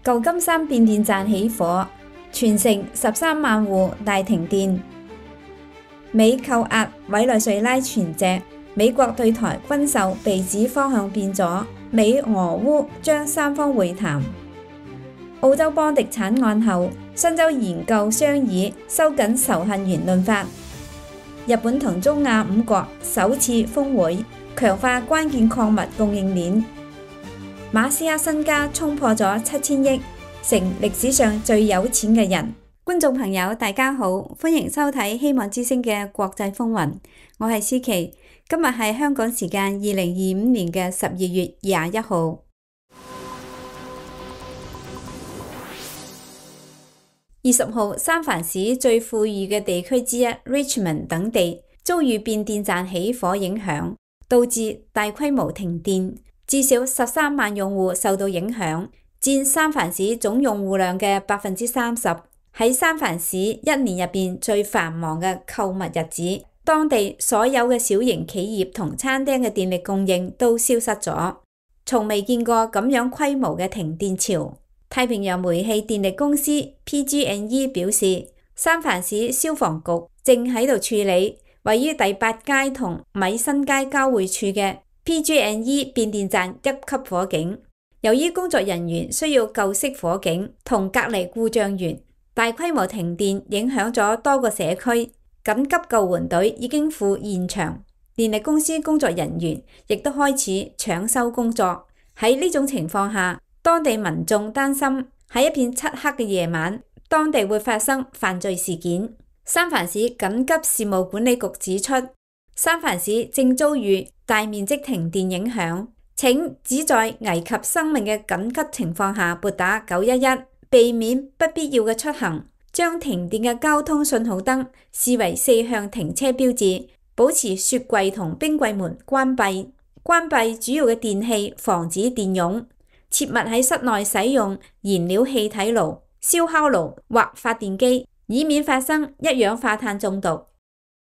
舊金山變電站起火，全城13萬戶大停電。美扣押委內瑞拉船隻，美國對台軍售被指方向變咗，美俄烏將三方會談。澳洲邦迪慘案後，新州研究商議收緊仇恨言論法。日本同中亞5國首次峰會，強化關鍵礦物供應鏈。馬斯克身家衝破咗7000億，成歷史上最有錢嘅人。觀眾朋友大家好，歡迎收睇希望之聲嘅國際風雲，我係思琪。今日係香港時間2025年嘅12月21號。20號，三藩市最富裕嘅地區之一 Richmond 等地遭遇變電站起火影響，導致大規模停電，至少13萬用戶受到影響，佔三藩市總用戶量嘅30%。喺三藩市一年入邊最繁忙嘅購物日子，當地所有嘅小型企業同餐廳嘅電力供應都消失咗，從未見過咁樣規模嘅停電潮。太平洋煤氣電力公司 PG&E 表示，三藩市消防局正喺度處理位於第8街同米新街交匯處嘅 PG&E 變電站1級火警。由於工作人員需要救熄火警同隔離故障源，大規模停電影響咗多個社區，緊急救援隊已經赴現場，電力公司工作人員亦都開始搶修工作。喺呢種情況下，當地民眾擔心喺一片漆黑嘅夜晚，當地會發生犯罪事件。三藩市緊急事務管理局指出，三藩市正遭遇大面積停電影響，請只在危及生命嘅緊急情況下撥打911，避免不必要嘅出行。將停電嘅交通信號燈視為4向停車標誌，保持雪櫃同冰櫃門關閉，關閉主要嘅電器，防止電湧。切勿喺室內使用燃料氣體爐、燒烤爐或發電機，以免發生一氧化碳中毒。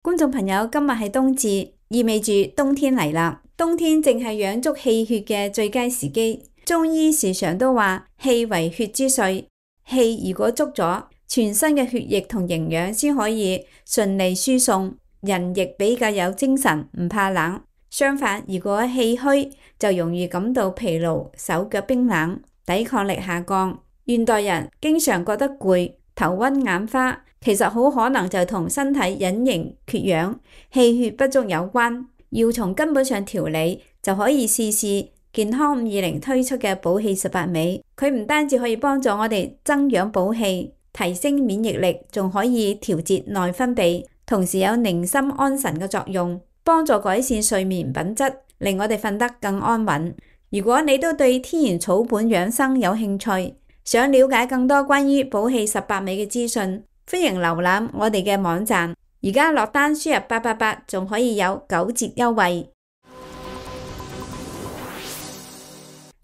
觀眾朋友，今日係冬至，意味住冬天嚟啦。冬天正係養足氣血嘅最佳時機。中醫時常都話氣為血之髓，氣如果足咗，全身嘅血液同營養先可以順利輸送，人亦比較有精神，唔怕冷。相反，如果氣虛，就容易感到疲勞、手腳冰冷、抵抗力下降。現代人經常覺得攰、頭暈眼花，其實好可能就同身體隱形缺氧、氣血不足有關。要從根本上調理，就可以試試健康520推出嘅補氣18味。佢唔單止可以幫助我哋增氧補氣、提升免疫力，仲可以調節內分泌，同時有寧心安神嘅作用，幫助改善睡眠品質，令我哋瞓得更安穩。如果你都對天然草本養生有興趣，想了解更多關於補氣18味嘅資訊，歡迎瀏覽我哋嘅網站。而家落單輸入888，仲可以有9折優惠。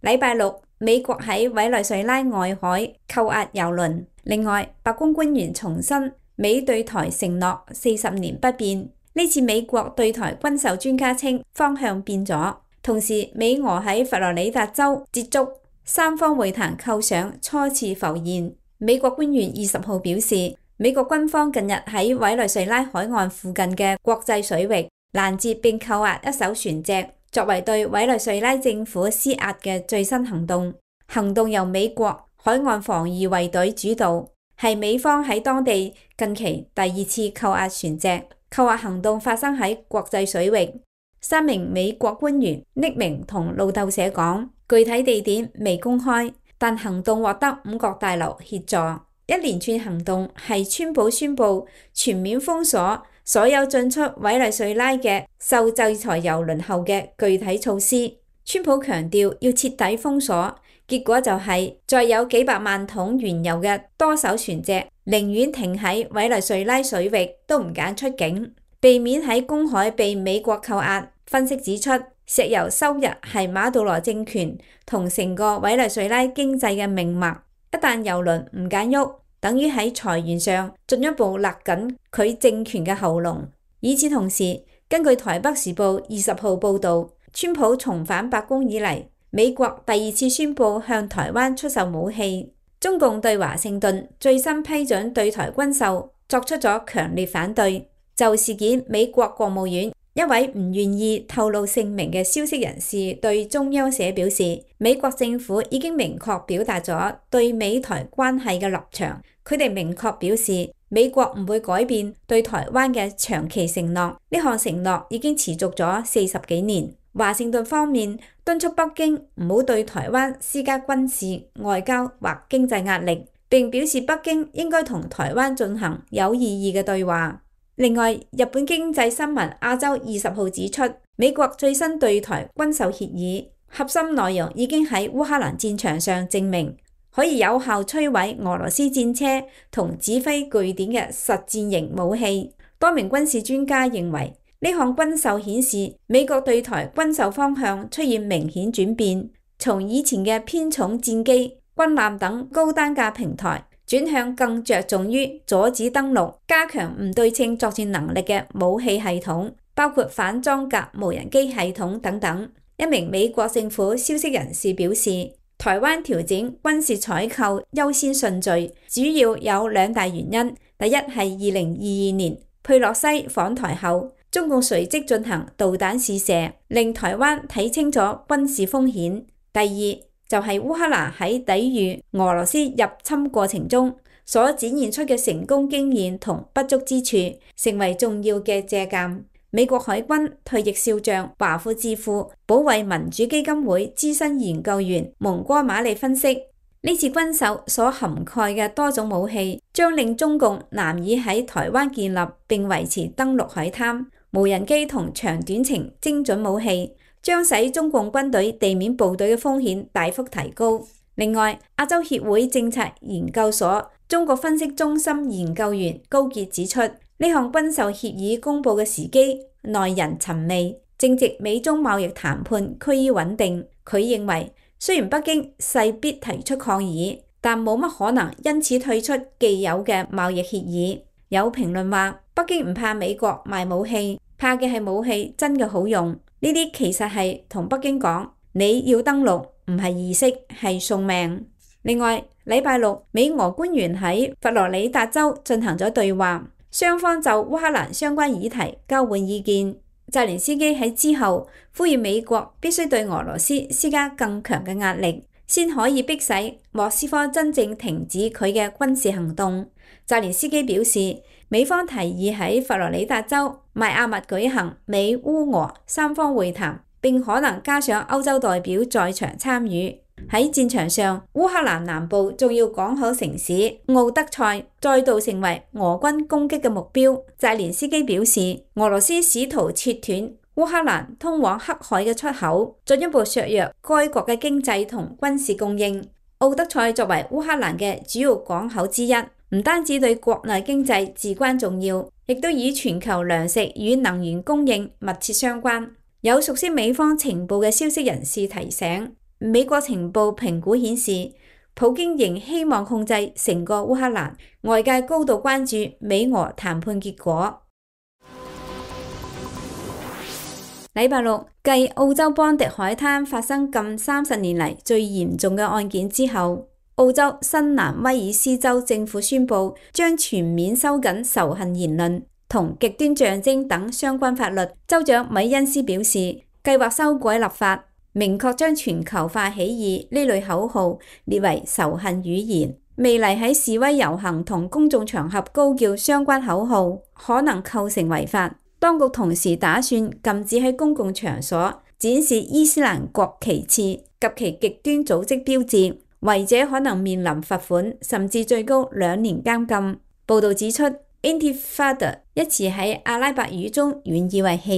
禮拜六，美國喺委內瑞拉外海扣押油輪。另外，白宮官員重申美對台承諾40年不變。呢次美國對台軍售專家稱方向變咗。同時，美俄喺佛羅里達州接觸，三方會談構想初次浮現。美國官員20號表示，美國軍方近日喺委內瑞拉海岸附近嘅國際水域攔截並扣押一艘船隻，作為對委內瑞拉政府施壓嘅最新行動。行動由美國海岸防禦衛隊主導，係美方喺當地近期第2次扣押船隻。扣押行動發生喺國際水域。3名美國官員匿名同路透社講，具體地點未公開，但行動獲得5角大樓協助。一連串行動係川普宣布全面封鎖所有進出委內瑞拉嘅受制裁油輪後嘅具體措施。川普強調要徹底封鎖，結果就係再有幾百萬桶原油嘅多艘船隻寧願停喺委內瑞拉水域都唔揀出境，避免喺公海被美國扣押。分析指出，石油收入係馬杜羅政權同成個委內瑞拉經濟嘅命脈。一旦油輪唔揀喐，等於喺財源上進一步勒緊佢政權嘅喉嚨。與此同時，根據台北時報20號報導，川普重返白宮以嚟，美國第2次宣布向台灣出售武器。中共對華盛頓最新批准對台軍售作出咗強烈反對。就事件，美國國務院一位唔願意透露姓名嘅消息人士對中央社表示，美國政府已經明確表達咗對美台關係嘅立場，佢哋明確表示美國唔會改變對台灣嘅長期承諾，呢項承諾已經持續咗40幾年。華盛頓方面敦促北京唔好對台灣施加軍事、外交或經濟壓力，並表示北京應該同台灣進行有意義嘅對話。另外，日本經濟新聞亞洲20號指出，美國最新對台軍售協議核心內容已經喺烏克蘭戰場上證明，可以有效摧毀俄羅斯戰車同指揮據點嘅實戰型武器。多名軍事專家認為，呢項軍售顯示美國對台軍售方向出現明顯轉變，從以前嘅偏重戰機、軍艦等高單價平台，轉向更着重於阻止登陸、加強唔對稱作戰能力嘅武器系統，包括反裝甲無人機系統等等。一名美國政府消息人士表示，台灣調整軍事採購優先順序，主要有2大原因。第一係2022年佩洛西訪台後，中共隨即進行導彈試射，令台灣睇清楚軍事風險。第二就係烏克蘭喺抵禦俄羅斯入侵過程中所展現出嘅成功經驗同不足之處，成為重要嘅借鑑。美國海軍退役少將華府智庫保衛民主基金會資深研究員蒙哥馬利分析，呢次軍售所涵蓋嘅多種武器，將令中共難以喺台灣建立並維持登陸海灘。無人機同長短程精準武器將使中共軍隊地面部隊嘅風險大幅提高。另外，亞洲協會政策研究所中國分析中心研究員高傑指出，呢項軍售協議公佈嘅時機耐人尋味，正值美中貿易談判趨於穩定。佢認為，雖然北京勢必提出抗議，但冇乜可能因此退出既有嘅貿易協議。有評論話，北京唔怕美國賣武器，怕嘅係武器真嘅好用。呢啲其實係同北京講，你要登陸唔係儀式，係送命。另外，禮拜六美俄官員喺佛羅里達州進行咗對話，雙方就烏克蘭相關議題交換意見。澤連斯基喺之後呼籲美國必須對俄羅斯施加更強嘅壓力，先可以迫使莫斯科真正停止佢嘅軍事行動。澤連斯基表示，美方提議喺佛羅里達州邁阿密舉行美烏俄三方會談，並可能加上歐洲代表在場參與。喺戰場上，烏克蘭南部重要港口城市奧德賽再度成為俄軍攻擊嘅目標。澤連斯基表示，俄羅斯試圖切斷烏克蘭通往黑海嘅出口，進一步削弱該國嘅經濟同軍事供應。奧德賽作為烏克蘭嘅主要港口之一，唔單止對國內經濟至關重要，亦都與全球糧食與能源供應密切相關。有熟悉美方情報嘅消息人士提醒，美國情報評估顯示，普京仍希望控制成個烏克蘭，外界高度關注美俄談判結果。禮拜六，繼澳洲邦迪海灘發生近30年嚟最嚴重嘅案件之後，澳洲新南威爾斯州政府宣布將全面收緊仇恨言論同極端象徵等相關法律。州長米恩斯表示，計劃修改立法，明確將全球化起義呢類口號列為仇恨語言。未嚟喺示威遊行同公眾場合高叫相關口號，可能構成違法。當局同時打算禁止喺公共場所展示伊斯蘭國旗幟及其極端組織標誌，違者可能面臨罰款，甚至最高2年監禁。報導指出 ，Intifada 一詞喺阿拉伯語中原意為起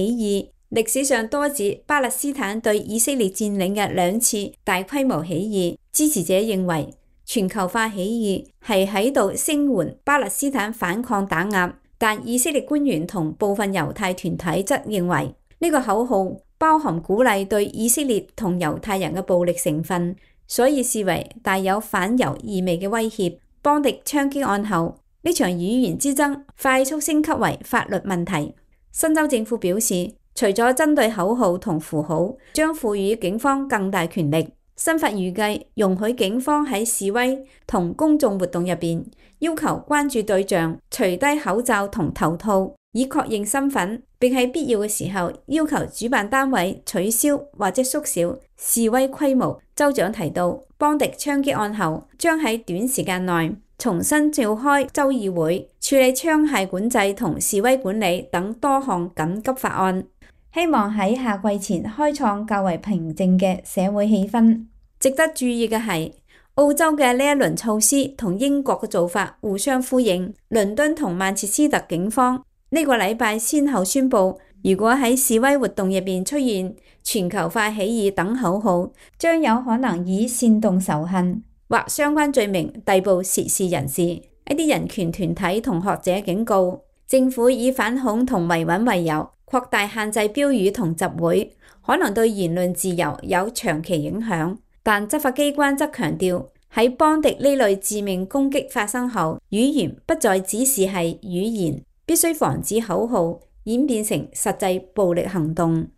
義，歷史上多指巴勒斯坦對以色列佔領嘅2次大規模起義。支持者認為全球化起義係喺度聲援巴勒斯坦反抗打壓。但以色列官員同部分猶太團體則認為呢個口號包含鼓勵對以色列同猶太人嘅暴力成分，所以視為帶有反猶意味嘅威脅。邦迪槍擊案後，呢場語言之爭快速升級為法律問題。新州政府表示，除咗針對口號同符號，將賦予警方更大權力。新法預計容許警方喺示威同公眾活動入邊要求關注對象除低口罩同頭套，以確認身份，並喺必要嘅時候要求主辦單位取消或者縮小示威規模。州長提到，邦迪槍擊案後將喺短時間內重新召開州議會，處理槍械管制同示威管理等多項緊急法案，希望喺夏季前開創較為平靜嘅社會氣氛。值得注意嘅係，澳洲嘅呢一輪措施同英國嘅做法互相呼應。倫敦同曼徹斯特警方呢個禮拜先後宣布，如果喺示威活動入邊出現全球化起義等口號，將有可能以煽動仇恨或相關罪名逮捕涉事人士。一啲人權團體同學者警告，政府以反恐同維穩為由，擴大限制標語同集會，可能對言論自由有長期影響。但執法機關則強調，喺邦迪呢類致命攻擊發生後，語言不再只是係語言，必須防止口號演變成實際暴力行動。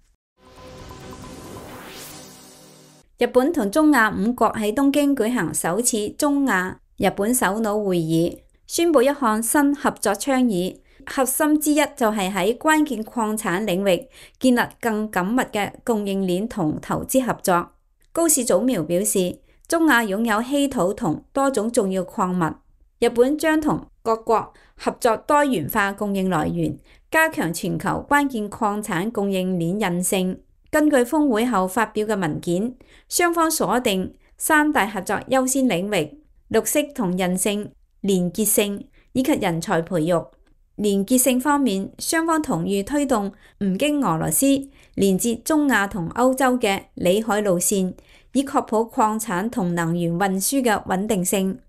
日本同中亞5國喺東京舉行首次中亞日本首腦會議，宣布一項新合作倡議，核心之一就係喺關鍵礦產領域建立更緊密嘅供應鏈同投資合作。高市早苗表示，中亞擁有稀土同多種重要礦物，日本將同各國合作多元化供應來源，加強全球關鍵礦產供應鏈韌性。根據峰會後發表嘅文件，雙方鎖定3大合作優先領域：綠色同韌性、連結性以及人才培育。連結性方面，雙方同意推動唔經俄羅斯連接中亞同歐洲嘅裏海路線，以確保礦產同能源運輸嘅穩定性。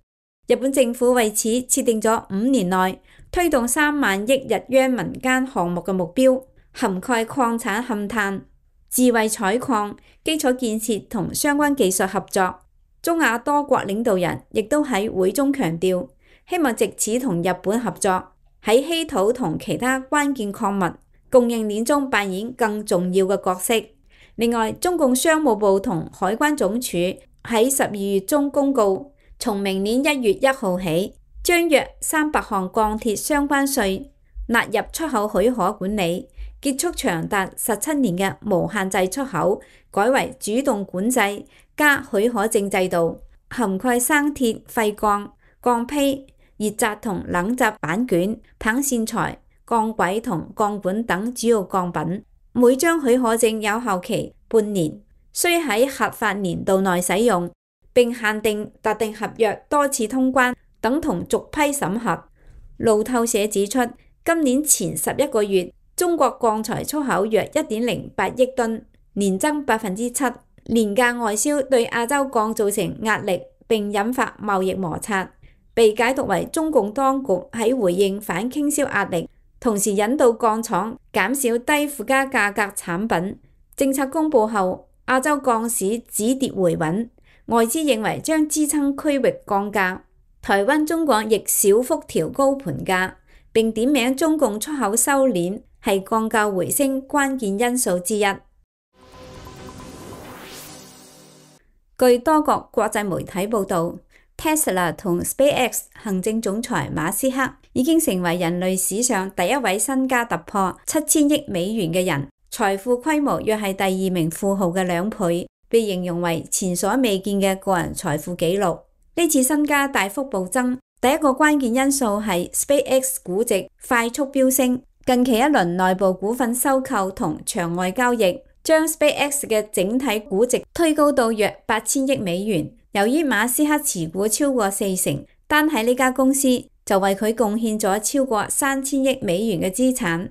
日本政府為此設定咗5年內推動3萬億日元民間項目嘅目標，涵蓋礦產勘探、智慧採礦、基礎建設同相關技術合作。中亞多國領導人亦都喺會中強調，希望藉此同日本合作，喺稀土同其他關鍵礦物供應鏈中扮演更重要嘅角色。另外，中共商務部同海關總署喺12月中公告，從明年1月1號起，將約300項鋼鐵相關稅納入出口許可管理，結束長達17年嘅無限制出口，改為主動管制加許可證制度，涵蓋生鐵、廢鋼、鋼坯、熱軋同冷軋板卷、棒線材、鋼軌同鋼管等主要鋼品。每張許可證有效期半年，須喺合法年度內使用，並限定特定合約多次通關，等同逐批審核。路透社指出，今年前11個月，中國鋼材出口約1.08億噸，年增7%。廉價外銷對亞洲鋼造成壓力，並引發貿易摩擦，被解讀為中共當局喺回應反傾銷壓力，同時引導鋼廠減少低附加價格產品。政策公布後，亞洲鋼市止跌回穩，外資認為將支撐區域鋼價。台灣中鋼亦小幅調高盤價，並點名中共出口收斂係鋼價回升關鍵因素之一。據多國國際媒體報道，Tesla 同 SpaceX 行政總裁馬斯克已經成為人類史上第一位身家突破7000億美元嘅人，財富規模約係第2名富豪嘅2倍，被形容為前所未見嘅個人財富紀錄。呢次身家大幅暴增，第一個關鍵因素係 SpaceX 估值快速飆升，近期一輪內部股份收購同場外交易，將 SpaceX 嘅整體估值推高到約8000億美元。由於馬斯克持股超過40%，單喺呢家公司就為佢貢獻咗超過3000億美元嘅資產。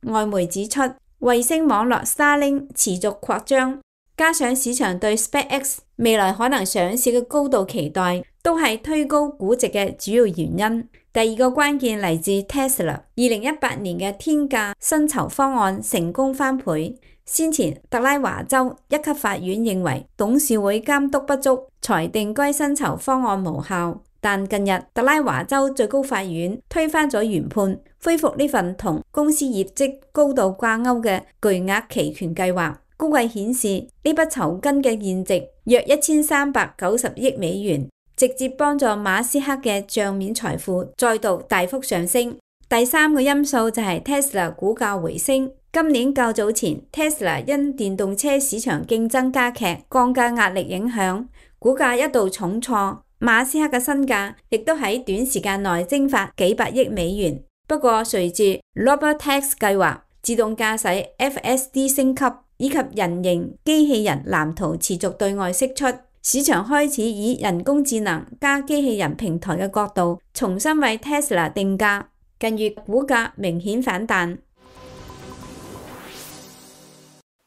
外媒指出，衛星網絡 Starlink 持續擴張，加上市場對 SpaceX 未來可能上市嘅高度期待，都係推高估值嘅主要原因。第二個關鍵嚟自 Tesla 2018年嘅天價薪酬方案成功翻倍。先前特拉華州一級法院認為董事會監督不足，裁定該薪酬方案無效。但近日特拉華州最高法院推翻咗原判，恢復呢份同公司業績高度掛鈎嘅巨額期權計劃。估計顯示呢筆酬金嘅現值約1390億美元，直接幫助馬斯克嘅賬面財富再度大幅上升。第三個因素就係 Tesla 股價回升。今年較早前 ，Tesla 因電動車市場競爭加劇、降價壓力影響，股價一度重挫。馬斯克嘅身價亦都喺短時間內蒸發幾百億美元。不過隨住 Robotaxi 計劃、自動駕駛 FSD 升級以及人形機器人藍圖持續對外釋出，市場開始以人工智能加機器人平台嘅角度重新為 Tesla 定價。近月股價明顯反彈。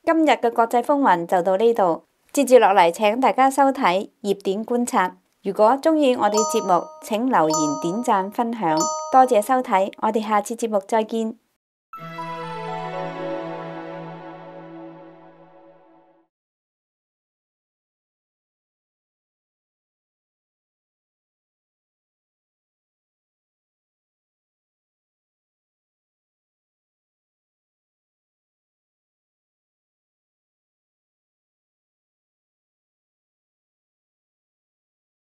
今日嘅國際風雲就到呢度，接住落嚟請大家收睇熱點觀察。如果鍾意我哋節目，請留言、點讚、分享，多謝收睇，我哋下次節目再見。